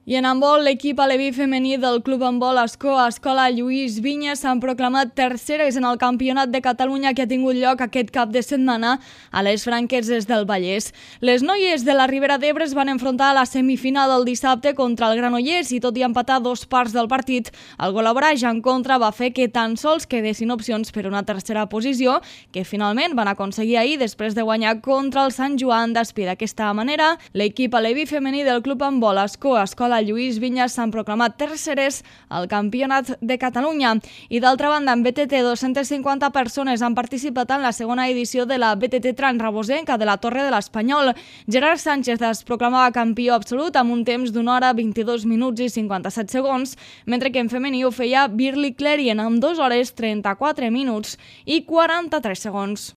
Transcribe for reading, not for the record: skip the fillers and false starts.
I en handbol, l'equip aleví femení del Club Handbol Escoa Escola Lluís Vinyes s'han proclamat terceres en el Campionat de Catalunya que ha tingut lloc aquest cap de setmana a les Franqueses del Vallès. Les noies de la Ribera d'Ebre es van enfrontar a la semifinal del dissabte contra el Granollers i tot i empatar 2 parts del partit, el golabraix en contra va fer que tan sols quedessin opcions per una tercera posició que finalment van aconseguir ahir després de guanyar contra el Sant Joan d'Espí. D'aquesta manera, l'equip aleví femení del Club Handbol Escoa Escola Lluís Vinyes s'han proclamat terceres al Campionat de Catalunya. I d'altra banda, en BTT, 250 persones han participat en la segona edició de la BTT Transrabosenca de la Torre de l'Espanyol. Gerard Sánchez es proclamava campió absolut amb un temps d'1 hora, 22 minuts i 57 segons, mentre que en femení ho feia Birli Clerien amb 2 hores, 34 minuts i 43 segons.